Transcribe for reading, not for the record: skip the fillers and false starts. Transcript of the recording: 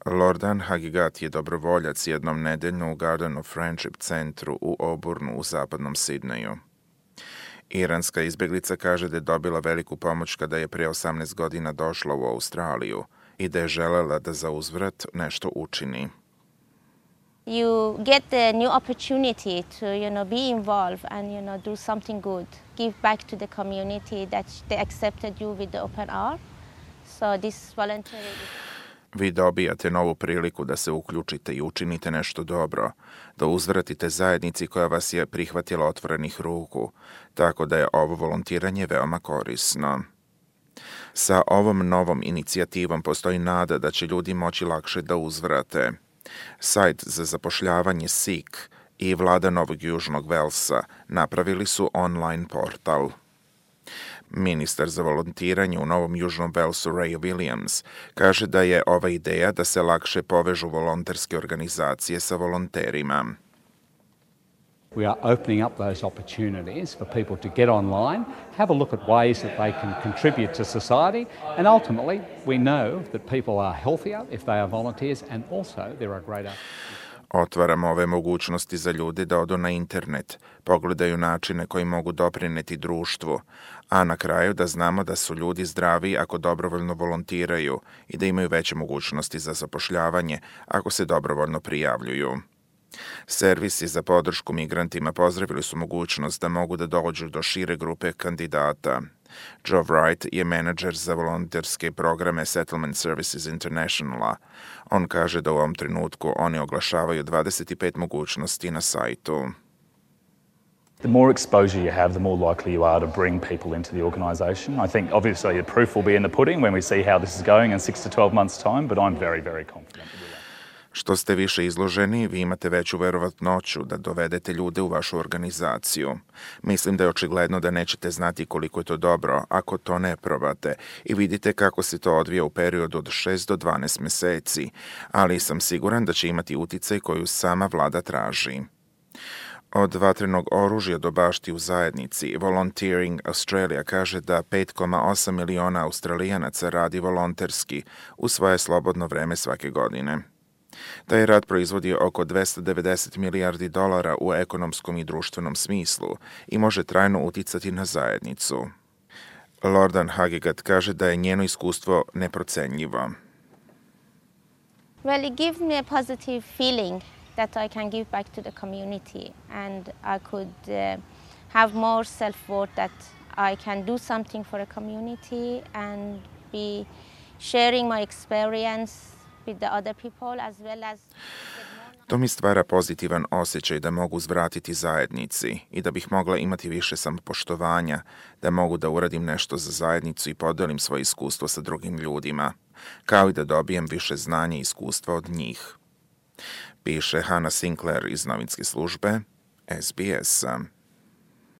Lordan Hagigat je dobrovoljac jednom nedeljno u Garden of Friendship centru u Auburnu u zapadnom Sidneju. Iranska izbjeglica kaže da je dobila veliku pomoć kada je prije 18 godina došla u Australiju i da je želela da za uzvrat nešto učini. You get the new opportunity to, be involved and, do something good. Give back to the community that they accepted you with the open arms. So this voluntary... Vi dobijate novu priliku da se uključite i učinite nešto dobro, da uzvratite zajednici koja vas je prihvatila otvorenih ruku, tako da je ovo volontiranje veoma korisno. Sa ovom novom inicijativom postoji nada da će ljudi moći lakše da uzvrate. Sajt za zapošljavanje Seek i vlada Novog Južnog Velsa napravili su online portal. Ministar za volontiranje u Novom Južnom Velsu Ray Williams kaže da je ova ideja da se lakše povežu volonterske organizacije sa volonterima. We are opening up those opportunities for people to get online, have a look at ways that they can contribute to society, and ultimately we know that people are healthier if they are volunteers, and also there are greater... Otvaramo ove mogućnosti za ljude da odu na internet, pogledaju načine koji mogu doprineti društvu, a na kraju da znamo da su ljudi zdravi ako dobrovoljno volontiraju i da imaju veće mogućnosti za zapošljavanje ako se dobrovoljno prijavljuju. Servisi za podršku migrantima pozdravili su mogućnost da mogu da dođu do šire grupe kandidata. Joe Wright je menadžer za volonterske programe Settlement Services Internationala. On kaže da u ovom trenutku oni oglašavaju 25 mogućnosti na sajtu. The more exposure you have, the more likely you are to bring people into the organisation. I think obviously the proof will be in the pudding when we see how this is going in 6 to 12 months' time, but I'm very, very confident. Što ste više izloženi, vi imate veću verovatnoću da dovedete ljude u vašu organizaciju. Mislim da je očigledno da nećete znati koliko je to dobro ako to ne probate i vidite kako se to odvija u periodu od 6 do 12 meseci, ali sam siguran da će imati uticaj koju sama vlada traži. Od vatrenog oružja do bašti u zajednici, Volunteering Australia kaže da 5,8 miliona Australijanaca radi volonterski u svoje slobodno vreme svake godine. Taj rad proizvodi oko $290 milijardi u ekonomskom i društvenom smislu i može trajno uticati na zajednicu. Lordan Hagigat kaže da je njeno iskustvo neprocenljivo. Well, it gives me a positive feeling that I can give back to the community and I could have more self-worth that I can do something for a community and be sharing my experience with the other people as well as... To mi stvara pozitivan osjećaj da mogu uzvratiti zajednici i da bih mogla imati više samopoštovanja, da mogu da uradim nešto za zajednicu i podelim svoje iskustvo sa drugim ljudima, kao i da dobijem više znanja i iskustva od njih. Piše Hannah Sinclair iz novinske službe SBS-a.